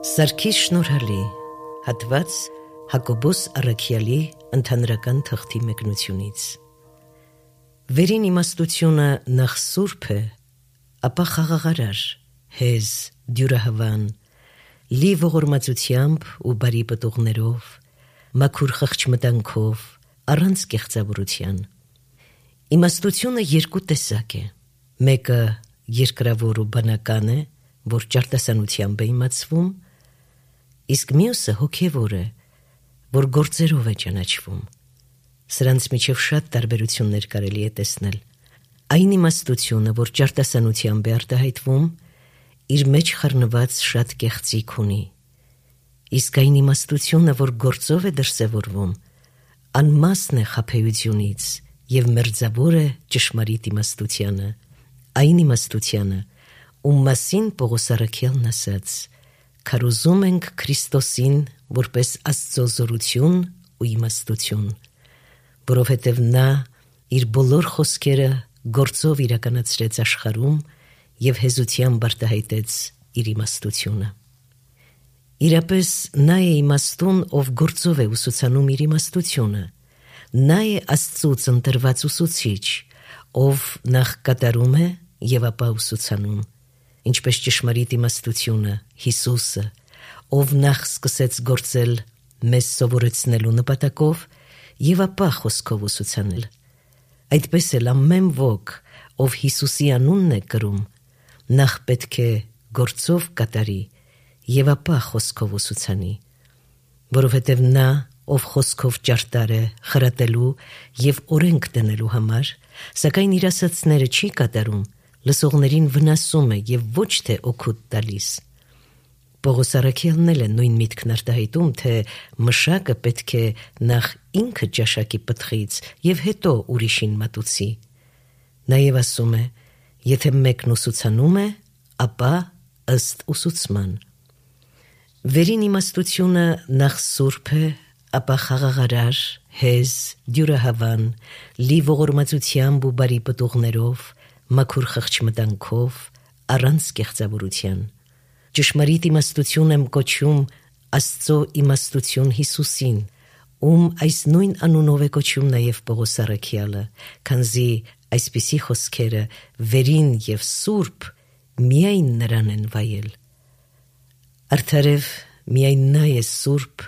Սարգիս Շնորհալի, հատված Հակոբոս Առաքյալի ընդհանրական թղթի մեկնությունից։ Վերին իմաստությունը նախ սուրբ է, ապա խաղաղարար, հեզ, դյուրահավան, լի ողորմածությամբ ու բարի պտուղներով, մաքուր խղճմտանքով, առանց կեղծավորության։ Իմաստությունը երկու տեսակ է, մեկը երկրավոր ու բնական է, որ ճարտասանությամբ է իմացվում, իսկ մյուսը հոգևոր է, որ գործերով է ճանաչվում։ Սրանց միջև շատ տարբերություններ կարելի է տեսնել։ Այն իմաստությունը, որ ճարտասանությամբ է արտահայտվում, իր մեջ խառնված շատ կեղծիք ունի, իսկ այն իմաստությունը, որ գործով է դրսևորվում, անմասն է խաբեությունից և մերձավոր է ճշմարիտ իմաստությանը, այն իմաստությանը, ում մասին Պողոս Առաքյալն ասաց. «Քարոզում ենք Քրիստոսին որպես Աստծո զորություն ու իմաստություն, որովհետև նա իր բոլոր խոսքերը գործով իրականացրեց աշխարհում և հեզությամբ արտահայտեց իր իմաստությունը»։ Իրապես նա է իմաստուն, ով գործով է ուսուցանում իր իմաստությունը, նա է Աստծուց ընտրված ուսուցիչ, ով նախ կատարում է և ապա ուսուցանում, ինչպես ճշմարիտ իմաստությունը, Հիսուսը, ով նախ սկսեց գործել մեզ սովորեցնելու նպատակով և ապա խոսքով ուսուցանել։ Այդպես էլ ամեն ոք, ով Հիսուսի անունն է կրում, նախ պետք է գործով կատարի և ապա խոսքով ուսուցանի, որովհետև նա, ով խոսքով ճարտար է խրատելու և օրենք դնելու համար, սակայն իր ասածները չի կատարում, լսողներին վնասում է և ոչ թե օգուտ տալիս։ Պողոս Առաքյալն էլ է նույն միտքն արտահայտում, թե մշակը պետք է նախ ինքը ճաշակի պտղից և հետո ուրիշին մատուցի։ Նաև ասում է, եթե մեկն ուսուցանում է, ապա ըստ ուսուցման։ Վերին իմաստությունը նախ սուրբ է, ապա խաղաղարար, հեզ, դյուրահավան, լի ողորմածությամբ ու բարի պտուղներով, մաքուր խղճմտանքով, առանց կեղծավորության։ Ճշմարիտ իմաստություն եմ կոչում Աստծո իմաստություն Հիսուսին, ում այս նույն անունով է կոչում նաև Պողոս Առաքյալը, քանզի այսպիսի խոսքերը վերին և սուրբ միայն նրան են վայել։ Արդարև միայն նա է սուրբ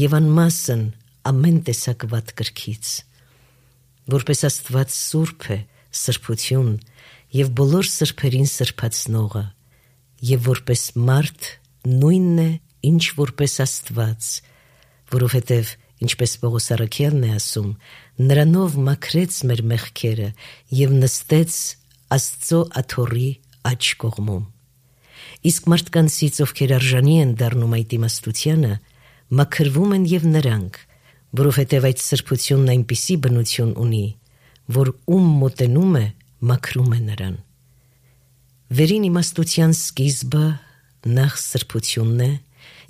և անմասն ամեն տեսակ վատ կրքից։ Որպես Աստված սուրբ է, սրբություն և բոլոր սրբերին սրբացնողը, և որպես մարդ նույնն է, ինչ որպես Աստված, որովհետև, ինչպես Պողոս Առաքյալն է ասում, նրանով մաքրեց մեր մեղքերը և նստեց Աստծո աթոռի աջ կողմում։ Իսկ մարդկանցից, ովքեր արժանի են դառնում այդ իմաստությանը, մաքրվում են և նրանք, որովհետև այդ սրբությունն այնպիսի բնություն ունի, որ ում մոտենում է, մաքրում է նրան։ Վերին իմաստության սկիզբը նախ սրբությունն է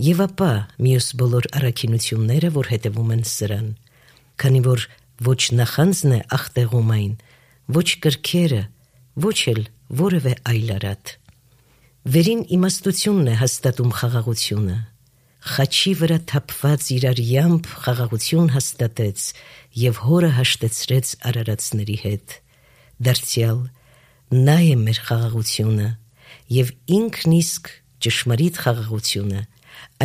և ապա մյուս բոլոր առաքինությունները, որ հետևում են սրան, քանի որ ոչ նախանձն է ախտեղում այն, ոչ կրքերը, ոչ էլ որևէ այլ արատ։ Վերին իմաստությունն է հաստատում խաղաղությունը։ Խաչի վրա թափված իր արյամբ խաղաղություն հաստատեց և հորը հաշտեցրեց արարածների հետ։ Դարձյալ նա է մեր խաղաղությունը և ինքն իսկ ճշմարիտ խաղաղությունը,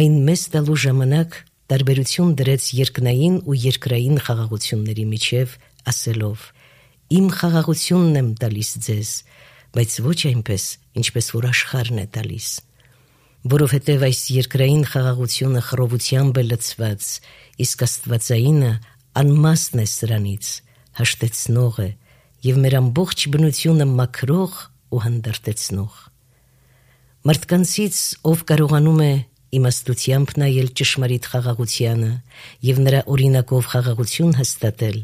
այն մեզ տալու ժամանակ տարբերություն դրեց երկնային ու երկրային խաղաղությունների միջև, ասելով. «Իմ խաղաղությունն եմ տալիս ձեզ, բայց ոչ այնպես, ինչպես որ աշխարհն է տալիս»։ Որովհետև այս երկրային խաղաղությունը խռովությամբ է լցված, իսկ աստվածայինը անմասն է սրանից, հաշտեցնող է և մեր ամբողջ բնությունը մաքրող ու հանդարտեցնող։ Մարդկանցից, ով կարողանում է իմաստությամբ նայել ճշմարիտ խաղաղությանը և նրա օրինակով խաղաղություն հաստատել,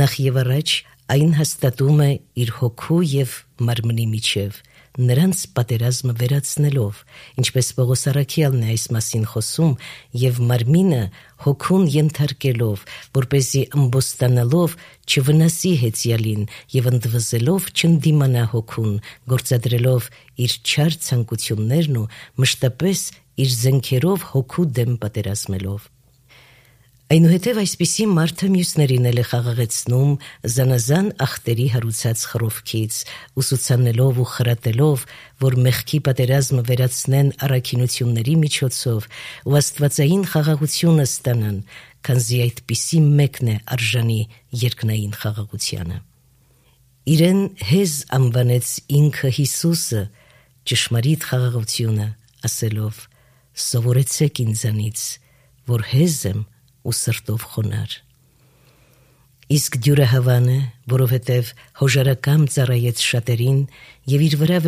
նախ և առաջ այն հաստատում է իր հոգու և մարմնի միջև, նրանց պատերազմը վերացնելով, ինչպես Պողոս առաքյալն է այս մասին խոսում, եւ մարմինը հոգուն ենթարկելով, որպեսզի ըմբոստանալով չվնասի հեծյալին եւ ընդվզելով չընդդիմանա հոգուն, գործադրելով իր չար ցանկություններն ու մշտապես իր զենքերով հոգու դեմ պատերազմելով։ Այնուհետև այսպիսի մարդը մյուսներին էլ է խաղաղեցնում զանազան ախտերի հարուցած խռովքից, ուսուցանելով ու խրատելով, որ մեղքի պատերազմը վերացնեն առաքինությունների միջոցով ու աստվածային խաղաղությունը ստանան, քանզի այդպիսի մեկն է արժանի երկնային խաղաղությանը։ Իրեն հեզ անվանեց ինքը Հիսուսը, ճշմարիտ խաղաղությունը, ասելով. «Սովորեցեք ինձանից, որ հեզ եմ ու սրտով խոնար»։ Իսկ դյուրահավանը, որովհետև հոժարակամ ծառայեց շատերին եւ իր վրա